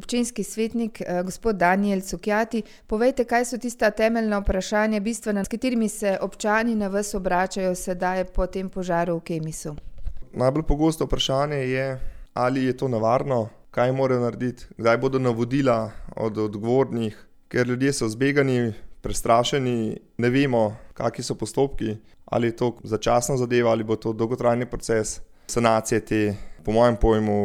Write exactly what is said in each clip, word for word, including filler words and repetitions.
občinski svetnik, gospod Danijel Cukjati, povejte, kaj so tista temeljna vprašanja, bistvena, s katerimi se občani na vas obračajo sedaj po tem požaru v Kemisu? Najbolj pogosto vprašanje je, ali je to nevarno, kaj morajo narediti, kdaj bodo navodila od odgovornih, ker ljudje so zbegani, prestrašeni, ne vemo, kakšni so postopki, ali je to začasna zadeva, ali bo to dolgotrajni proces sanacije te, po mojem pojmu,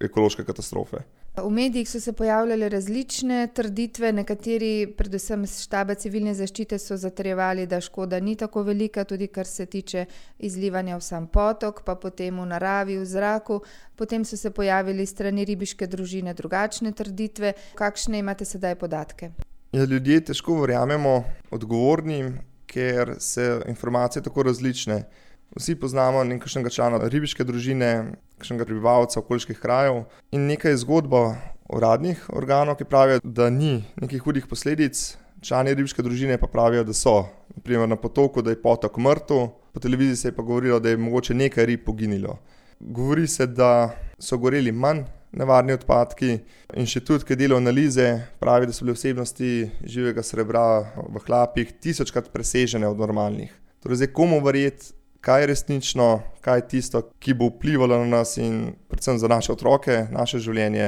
ekološke katastrofe. V medijih so se pojavljale različne trditve, nekateri, predvsem iz štaba civilne zaščite, so zatrjevali, da škoda ni tako velika, tudi kar se tiče izlivanja v sam potok, pa potem v naravi, v zraku. Potem so se pojavili strani ribiške družine drugačne trditve. Kakšne imate sedaj podatke? Ja, ljudje težko verjamemo odgovornim, ker se informacije tako različne. Vsi poznamo nekakšnega člana ribiške družine, kakšnega prebivalca okoliških krajev in nekaj zgodba uradnih organov, ki pravijo, da ni nekih hudih posledic, člani ribiške družine pa pravijo, da so. Naprimer na potoku, da je potok mrtev, po televiziji se je pa govorilo, da je mogoče nekaj rib poginilo. Govori se, da so goreli manj nevarni odpadki. Inštitut, ki dela analize, pravi, da so bile vsebnosti živega srebra v hlapih tisočkrat presežene od normalnih. Torej zdaj komu verjeti, kaj je resnično, kaj je tisto, ki bo vplivalo na nas in predvsem za naše otroke, naše življenje.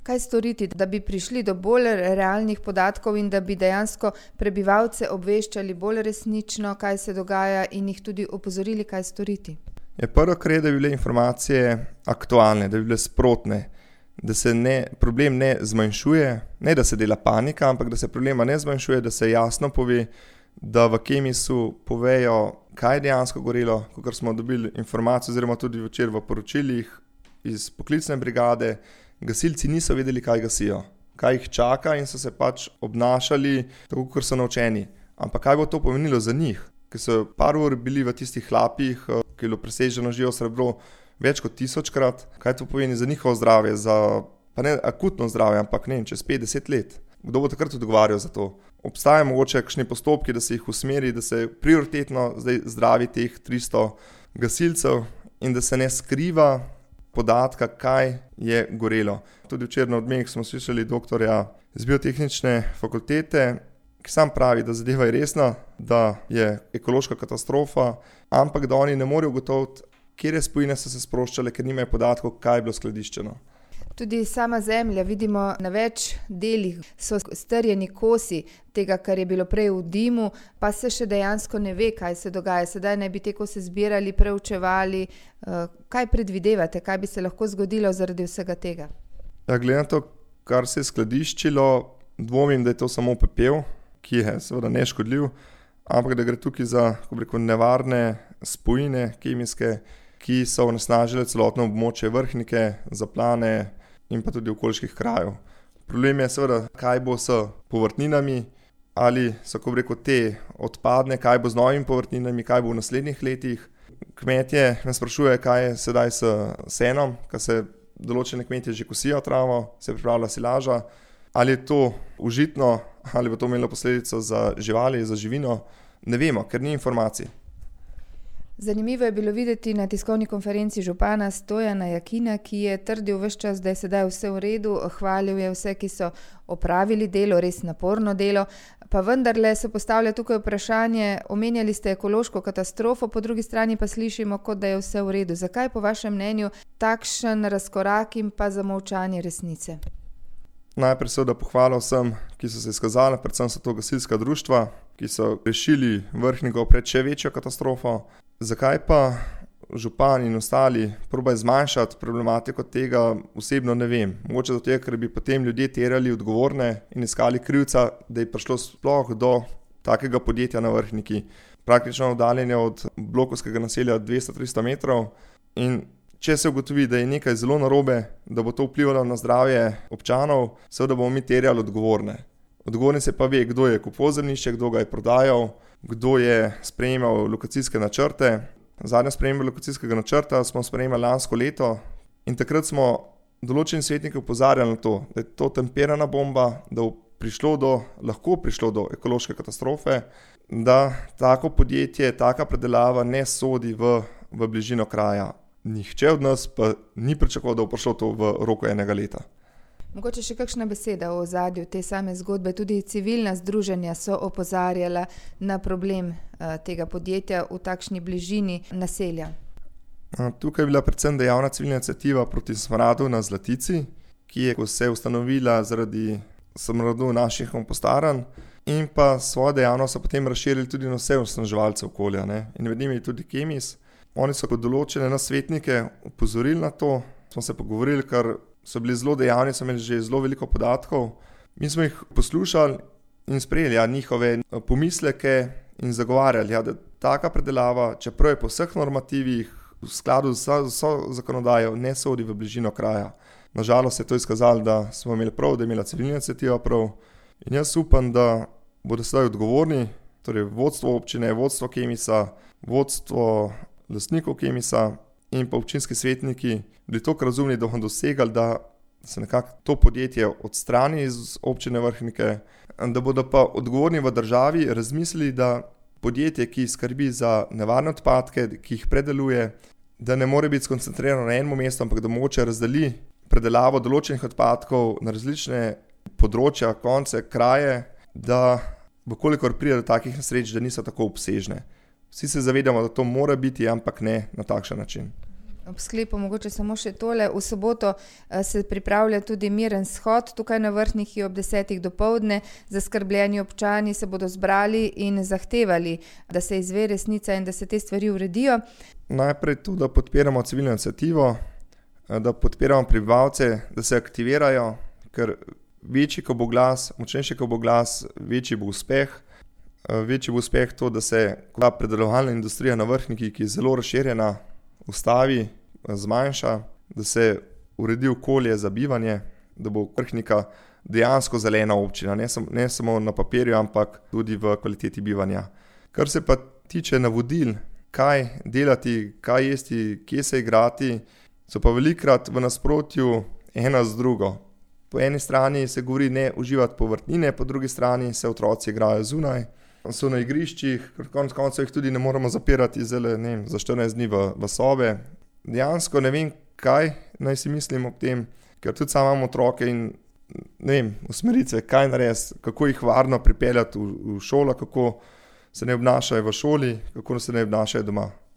Kaj storiti, da bi prišli do bolj realnih podatkov in da bi dejansko prebivalce obveščali bolj resnično, kaj se dogaja in jih tudi opozorili, kaj storiti? Je prvo, kar je, da bi bile informacije aktualne, da bi bile sprotne, da se ne, problem ne zmanjšuje, ne da se dela panika, ampak da se problema ne zmanjšuje, da se jasno pove, da v Kemisu povejo, kaj je dejansko gorelo, kakor smo dobili informacijo, oziroma tudi včeraj v poročilih iz poklicne brigade, gasilci niso vedeli, kaj gasijo, kaj jih čaka in so se pač obnašali tako, kot so naučeni. Ampak kaj bo to pomenilo za njih, ki so par ur bili v tistih hlapih, ki je bilo preseženo živo srebro več kot tisočkrat, kaj to pomeni za njihovo zdravje, za, pa ne akutno zdravje, ampak ne vem, čez pet deset let. Kdo bo takrat odgovarjal za to? Obstajajo mogoče kakšni postopki, da se jih usmeri, da se prioritetno zdaj zdravi teh tristo gasilcev in da se ne skriva podatka, kaj je gorelo. Tudi včeraj na Odmevih smo slišali doktorja z biotehnične fakultete, ki sam pravi, da zadeva je resna, da je ekološka katastrofa, ampak da oni ne morejo ugotoviti, katere spojine so se sproščale, ker nimajo podatkov, kaj je bilo skladiščeno. Tudi sama zemlja, vidimo na več delih, so strjeni kosi tega, kar je bilo prej v dimu, pa se še dejansko ne ve, kaj se dogaja. Sedaj naj bi te kose zbirali, preučevali. Kaj predvidevate, kaj bi se lahko zgodilo zaradi vsega tega? Ja, glede na to, kar se je skladiščilo, dvomim, da je to samo pepel, ki je seveda neškodljiv, ampak da gre tukaj za, kako bi rekel, nevarne spojine kemijske, ki so onesnažile celotno območje Vrhnike, Zaplane in pa tudi okoliških krajev. Problem je seveda, kaj bo s povrtninami, ali so, kako bi rekel, te odpadne, kaj bo z novimi povrtninami, kaj bo v naslednjih letih. Kmetje me sprašujejo, kaj je sedaj s senom, ker se določene kmetje že kosijo travo, se pripravlja silaža, ali je to užitno, ali bo to imelo posledico za živali, za živino, ne vemo, ker ni informacij. Zanimivo je bilo videti na tiskovni konferenci župana Stojana Jakina, ki je trdil ves čas, da je sedaj vse v redu, hvalil je vse, ki so opravili delo, res naporno delo, pa vendarle se postavlja tukaj vprašanje, omenjali ste ekološko katastrofo, po drugi strani pa slišimo, kot da je vse v redu. Zakaj po vašem mnenju takšen razkorak in pa zamolčanje resnice? Najprej seveda pohvala vsem, ki so se izkazali, predvsem so to gasilska društva, ki so rešili Vrhniko pred še večjo katastrofo. Zakaj pa župan in ostali probajo zmanjšati problematiko tega, osebno ne vem. Mogoče zato, ker bi potem ljudje terjali odgovorne in iskali krivca, da je prišlo sploh do takega podjetja na Vrhniki. Praktično oddaljenje od blokovskega naselja dvesto do tristo metrov in če se ugotovi, da je nekaj zelo narobe, da bo to vplivalo na zdravje občanov, seveda bomo mi terjali odgovorne. Odgovorni se pa ve, kdo je kupoval zemljišče, kdo ga je prodajal, kdo je sprejemal lokacijske načrte. Zadnje sprejemanje lokacijskega načrta smo sprejemali lansko leto in takrat smo določeni svetniki opozarjali na to, da je to tempirana bomba, da bo prišlo do, lahko prišlo do ekološke katastrofe, da tako podjetje, taka predelava ne sodi v, v bližino kraja. Nihče od nas pa ni pričakoval, da bo prišlo to v roku enega leta. Mogoče še kakšna beseda o ozadju te same zgodbe. Tudi civilna združenja so opozarjala na problem uh, tega podjetja v takšni bližini naselja. Tukaj je bila predvsem dejavna civilna iniciativa proti smradu na Zlatici, ki je se ustanovila zaradi smradu naših kompostaranj in pa svojo dejavnost so potem razširili tudi na vse onesnaževalce okolja, ne? In med njimi tudi Kemis. Oni so kot določene nasvetnike opozorili na to, smo se pogovorili, ker so bili zelo dejavni, so imeli že zelo veliko podatkov. Mi smo jih poslušali in sprejeli ja, njihove pomisleke in zagovarjali, ja, da taka predelava, čeprav je po vseh normativih, v skladu z vso zakonodajo, ne sodi v bližino kraja. Nažalost je to izkazalo, da smo imeli prav, da je imela civilna iniciativa prav. In jaz upam, da bodo sedaj odgovorni, torej vodstvo občine, vodstvo Kemisa, vodstvo lastnikov Kemisa in pa občinski svetniki bili toliko razumni, da bodo dosegali, da se nekako to podjetje odstrani iz občine Vrhnike, da bodo pa odgovorni v državi razmislili, da podjetje, ki skrbi za nevarne odpadke, ki jih predeluje, da ne more biti skoncentrirano na enem mestu, ampak da mogoče razdeli predelavo določenih odpadkov na različne področja, konce, kraje, da vkolikor pride do takih nesreč, da niso tako obsežne. Vsi se zavedamo, da to mora biti, ampak ne na takšen način. Ob sklepu mogoče samo še tole. V soboto se pripravlja tudi miren shod tukaj na Vrhniki ob desetih dopoldne. Zaskrbljeni občani se bodo zbrali in zahtevali, da se izve resnica in da se te stvari uredijo. Najprej to, da podpiramo civilno iniciativo, da podpiramo prebivalce, da se aktivirajo, ker večji, ko bo glas, močnejši, ko bo glas, večji bo uspeh. Večji bo uspeh to, da se ta predelovalna industrija na Vrhniki, ki je zelo razširjena, ustavi, zmanjša, da se uredi okolje za bivanje, da bo Vrhnika dejansko zelena občina, ne, sam, ne samo na papirju, ampak tudi v kvaliteti bivanja. Kar se pa tiče navodil, kaj delati, kaj jesti, kje se igrati, so pa velikrat v nasprotju ena z drugo. Po eni strani se govori ne uživati povrtnine, po drugi strani se otroci igrajo zunaj, so na igriščih, ker konec koncev jih tudi ne moremo zapirati zelo, ne vem, za štirinajst dni v, v sobe. Dejansko ne vem, kaj naj si mislim ob tem, ker tudi sam imam otroke in ne vem, usmeritve, kaj narediti, kako jih varno pripeljati v, v šolo, kako se ne obnašajo v šoli, kako se ne obnašajo doma.